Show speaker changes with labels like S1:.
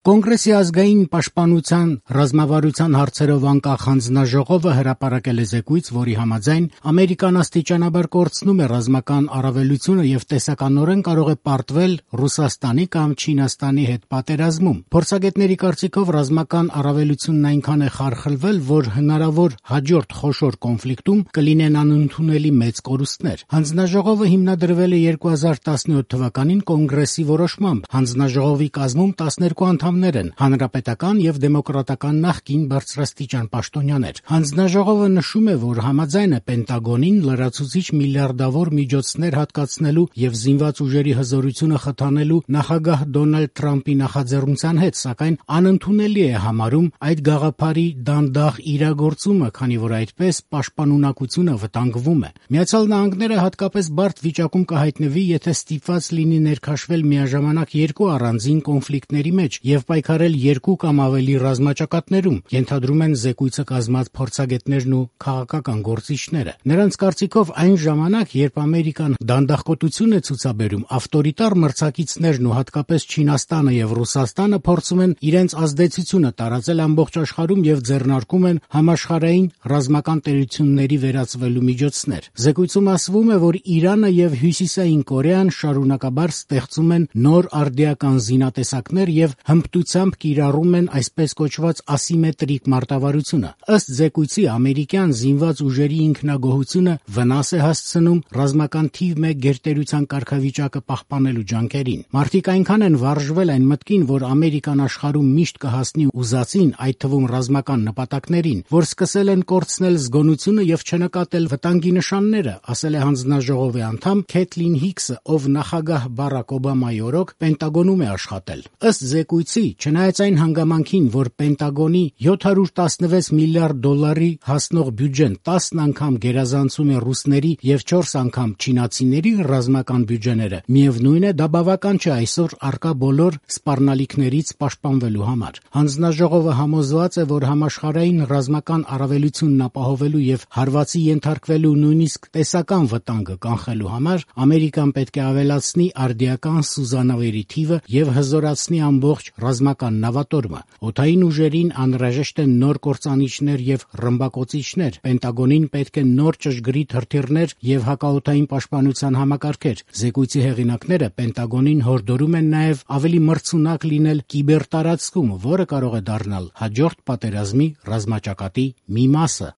S1: Կոնգրեսի ազգային պաշտպանության ռազմավարության հարցերով անկախ հանձնաժողովը հրապարակել է զեկույց, որի համաձայն Ամերիկան աստիճանաբար կորցնում է ռազմական առավելությունը եւ տեսականորեն կարող է պարտվել Ռուսաստանի կամ Չինաստանի հետ պատերազմում։ Փորձագետների կարծիքով ռազմական առավելությունն այնքան է խարխլվել, որ հնարավոր հաջորդ խոշոր կոնֆլիկտում կլինեն անընդունելի մեծ կորուստներ։ Հանձնաժողովը հիմնադրվել է 2017 թվականին կոնգրեսի որոշմամբ։ Հանձնաժողովի կազմում 12 անդամներ են, հանրապետական եւ դեմոկրատական նախկին բարձրաստիճան պաշտոնյաներ։ Հանձնաժողովը նշում է, որ համաձայն է Պենտագոնին լրացուցիչ միլիարդավոր միջոցներ հատկացնելու եւ զինված ուժերի հզորությունը խթանելու նախագահ Դոնալդ Թրամփի նախաձեռնության հետ, սակայն անընդունելի է համարում այդ գաղափարի դանդաղ իրագործումը, քանի որ այդպես պաշտպանունակությունը վտանգվում է։ Միացյալ Նահանգները հատկապես բարդ վիճակում կհայտնվի, եթե ստիպված լինի ներքաշվել միաժամանակ երկու առանձին կոնֆլիկտների մեջ եւ պայքարել երկու կամ ավելի ռազմաճակատներում, ենթադրում են զեկույցը կազմած փորձագետներն ու քաղաքական գործիչները։ Նրանց կարծիքով այն ժամանակ, երբ Ամերիկան դանդաղկոտություն է ցուցաբերում, ավտորիտար մրցակիցներն ու հատկապես Չինաստանը եւ Ռուսաստանը փորձում են իրենց ազդեցությունը տարածել ամբողջ աշխարհում եւ ձեռնարկում են համաշխարհային ռազմական տերությունների վերածվելու միջոցներ։ Զեկույցում ասվում է, որ Իրանը եւ Հյուսիսային Կորեան շարունակաբար ստեղծում են նոր արդիական զինատեսակներ եւ հմտությամբ կիրառում են այսպես կոչված ասիմետրիկ մարտավարությունը։ Ըստ զեկույցի ամերիկյան զինված ուժերի ինքնագոհությունը վնաս է հասցնում ռազմական թիվ 1 գերտերության կարգավիճակը պահպանելու ջանքերին։ Մարդիկ այնքան են վարժվել այն մտքին, որ Ամերիկան աշխարհում միշտ կհասնի ուզածին, այդ թվում ռազմական նպատակներին, որ սկսել են կորցնել զգոնությունը եւ չնկատել վտանգի նշանները, ասել է հանձնաժողովի անդամ Քեթլին Հիքսը, ով նախագահ Բարակ Օբամայի օրոք Պենտագոնում է աշխատել։ Ըստ զեկույցի, չնայած այն հանգամանքին, որ Պենտագոնի 716 միլիարդ դոլարի հասնող բյուջեն 10 անգամ գերազանցում է ռուսների եւ 4 անգամ չինացիների ռազմական բյուջեները, միևնույն է, դա բավական չէ այսօր առկա բոլոր սպառնալիքներից պաշտպանվելու համար։ Հանձնաժողովը համոզված է, որ համաշխարհային ռազմական առավելությունն ապահովելու եւ հարվածի ենթարկվելու նույնիսկ տեսական վտանգը կանխելու համար Ամերիկան պետք է ավելացնի արդիական սուզանավերի թիվը եւ հզորացնի ամբողջ ռազմական նավատորմը։ Օդային ուժերին անհրաժեշտ են նոր կործանիչներ եւ ռմբակոծիչներ։ Պենտագոնին պետք է նոր ճշգրիտ հրթիռներ եւ հակաօդային պաշտպանության համակարգեր։ Զեկույցի հեղինակները Պենտագոնին հորդորում են նաեւ ավելի մրցունակ լինել կիբերտարածքում, որը կարող է դառնալ հաջորդ պատերազմի ռազմաճակատի մի մասը։